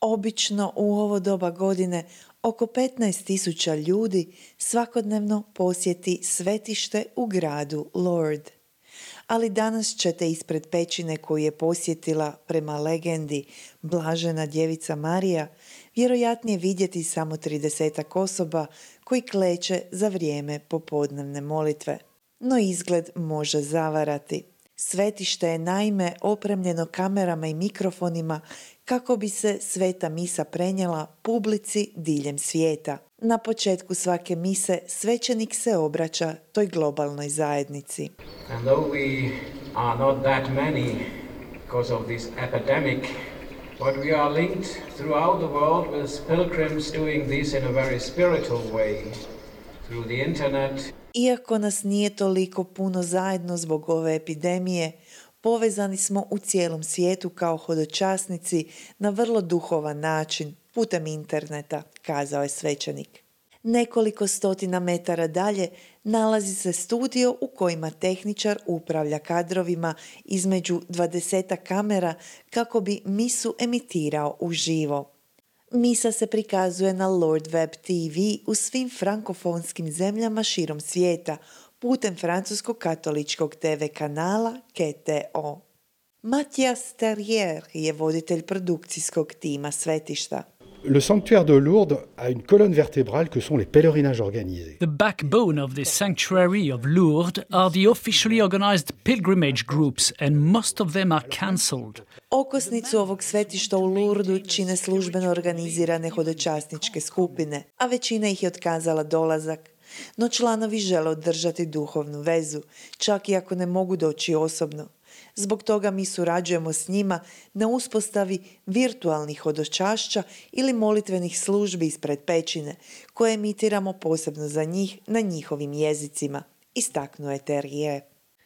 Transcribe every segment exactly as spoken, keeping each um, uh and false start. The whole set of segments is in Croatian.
Obično u ovo doba godine oko petnaest tisuća ljudi svakodnevno posjeti svetište u gradu Lourdes. Ali danas ćete ispred pećine koju je posjetila, prema legendi, blažena djevica Marija, vjerojatnije vidjeti samo tridesetak osoba koji kleče za vrijeme popodnevne molitve. No izgled može zavarati. Svetište je naime opremljeno kamerama i mikrofonima kako bi se sveta misa prenijela publici diljem svijeta. Na početku svake mise svećenik se obraća toj globalnoj zajednici. And though we are not that many because of this epidemic, but we are linked throughout the world with pilgrims doing this in a very spiritual way through the internet. Iako nas nije toliko puno zajedno zbog ove epidemije, povezani smo u cijelom svijetu kao hodočasnici na vrlo duhovan način, putem interneta, kazao je svećenik. Nekoliko stotina metara dalje nalazi se studio u kojima tehničar upravlja kadrovima između dvadesetak kamera kako bi misu emitirao uživo. Misa se prikazuje na Lourdes Web T V u svim frankofonskim zemljama širom svijeta putem francuskog katoličkog T V kanala K T O. Mathias Terrier je voditelj produkcijskog tima svetišta. Le sanctuaire de Lourdes a une colonne vertébrale que sont les pèlerinages organisés. The backbone of this sanctuary of Lourdes are the officially organized pilgrimage groups, and most of them are cancelled. Okosnicu ovog svetišta u Lourdesu čine službeno organizirane hodočasničke skupine, a većina ih je otkazala dolazak. No članovi žele održati duhovnu vezu, čak i ako ne mogu doći osobno. Zbog toga mi surađujemo s njima na uspostavi virtualnih hodočašća ili molitvenih službi ispred pećine, koje emitiramo posebno za njih na njihovim jezicima, istaknuo je Terrier.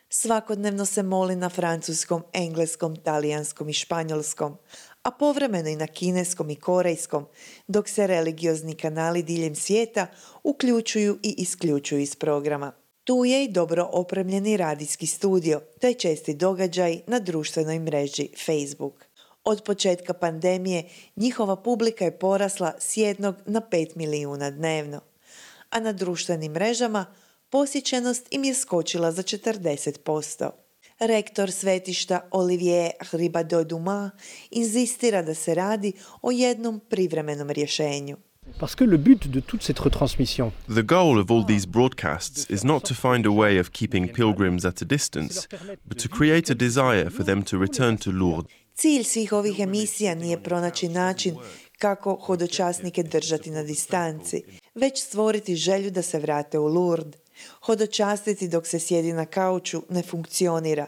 Svakodnevno se moli na francuskom, engleskom, talijanskom i španjolskom, a povremeno i na kineskom i korejskom, dok se religiozni kanali diljem svijeta uključuju i isključuju iz programa. Tu je i dobro opremljeni radijski studio, te česti događaj na društvenoj mreži Facebook. Od početka pandemije njihova publika je porasla s jednog na pet milijuna dnevno, a na društvenim mrežama posjećenost im je skočila za četrdeset posto. Rektor svetišta Olivier Ribadot-Dumas inzistira da se radi o jednom privremenom rješenju. Parce que le but de toute cette retransmission. The goal of all these broadcasts is not to find a way of keeping pilgrims at a distance, but to create a desire for them to return to Lourdes. Cilj svih ovih emisija nije pronaći način kako hodočasnike držati na distanci, već stvoriti želju da se vrate u Lourdes. Hodočastiti dok se sjedi na kauču ne funkcionira.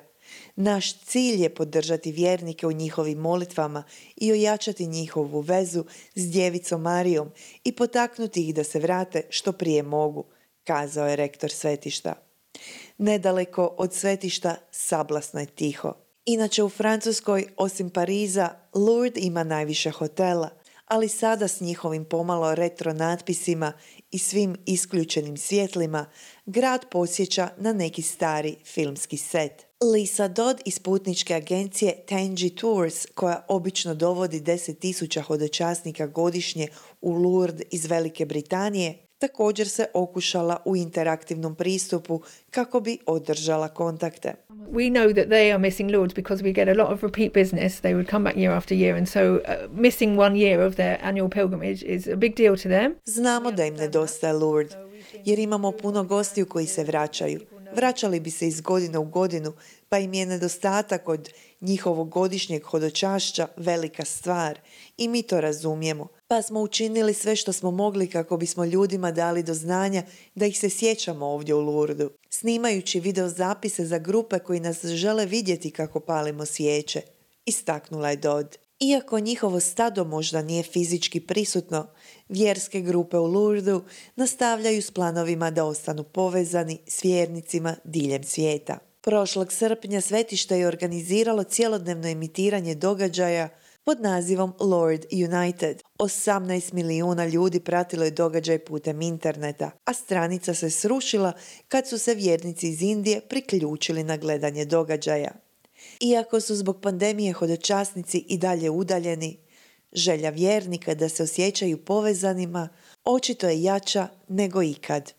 Naš cilj je podržati vjernike u njihovim molitvama i ojačati njihovu vezu s djevicom Marijom i potaknuti ih da se vrate što prije mogu, kazao je rektor svetišta. Nedaleko od svetišta sablasno je tiho. Inače u Francuskoj, osim Pariza, Lourdes ima najviše hotela, ali sada s njihovim pomalo retro natpisima i svim isključenim svjetlima, grad podsjeća na neki stari filmski set. Lisa Dodd iz putničke agencije Tangi Tours, koja obično dovodi deset tisuća hodočasnika godišnje u Lourdes iz Velike Britanije, također se okušala u interaktivnom pristupu kako bi održala kontakte. We know that they are missing Lourdes because we get a lot of repeat business. They would come back year after year, and so uh, missing one year of their annual pilgrimage is a big deal to them. Znamo da im nedostaje Lourdes, jer imamo puno gostiju koji se vraćaju. Vraćali bi se iz godine u godinu, pa im je nedostatak od njihovog godišnjeg hodočašća velika stvar i mi to razumijemo. Pa smo učinili sve što smo mogli kako bismo ljudima dali do znanja da ih se sjećamo ovdje u Lourdesu, snimajući video zapise za grupe koji nas žele vidjeti kako palimo svijeće, istaknula je Dodd. Iako njihovo stado možda nije fizički prisutno, vjerske grupe u Lourdesu nastavljaju s planovima da ostanu povezani s vjernicima diljem svijeta. Prošlog srpnja svetište je organiziralo cjelodnevno emitiranje događaja pod nazivom Lourdes United. osamnaest milijuna ljudi pratilo je događaj putem interneta, a stranica se srušila kad su se vjernici iz Indije priključili na gledanje događaja. Iako su zbog pandemije hodočasnici i dalje udaljeni, Želja vjernika da se osjećaju povezanima očito je jača nego ikad.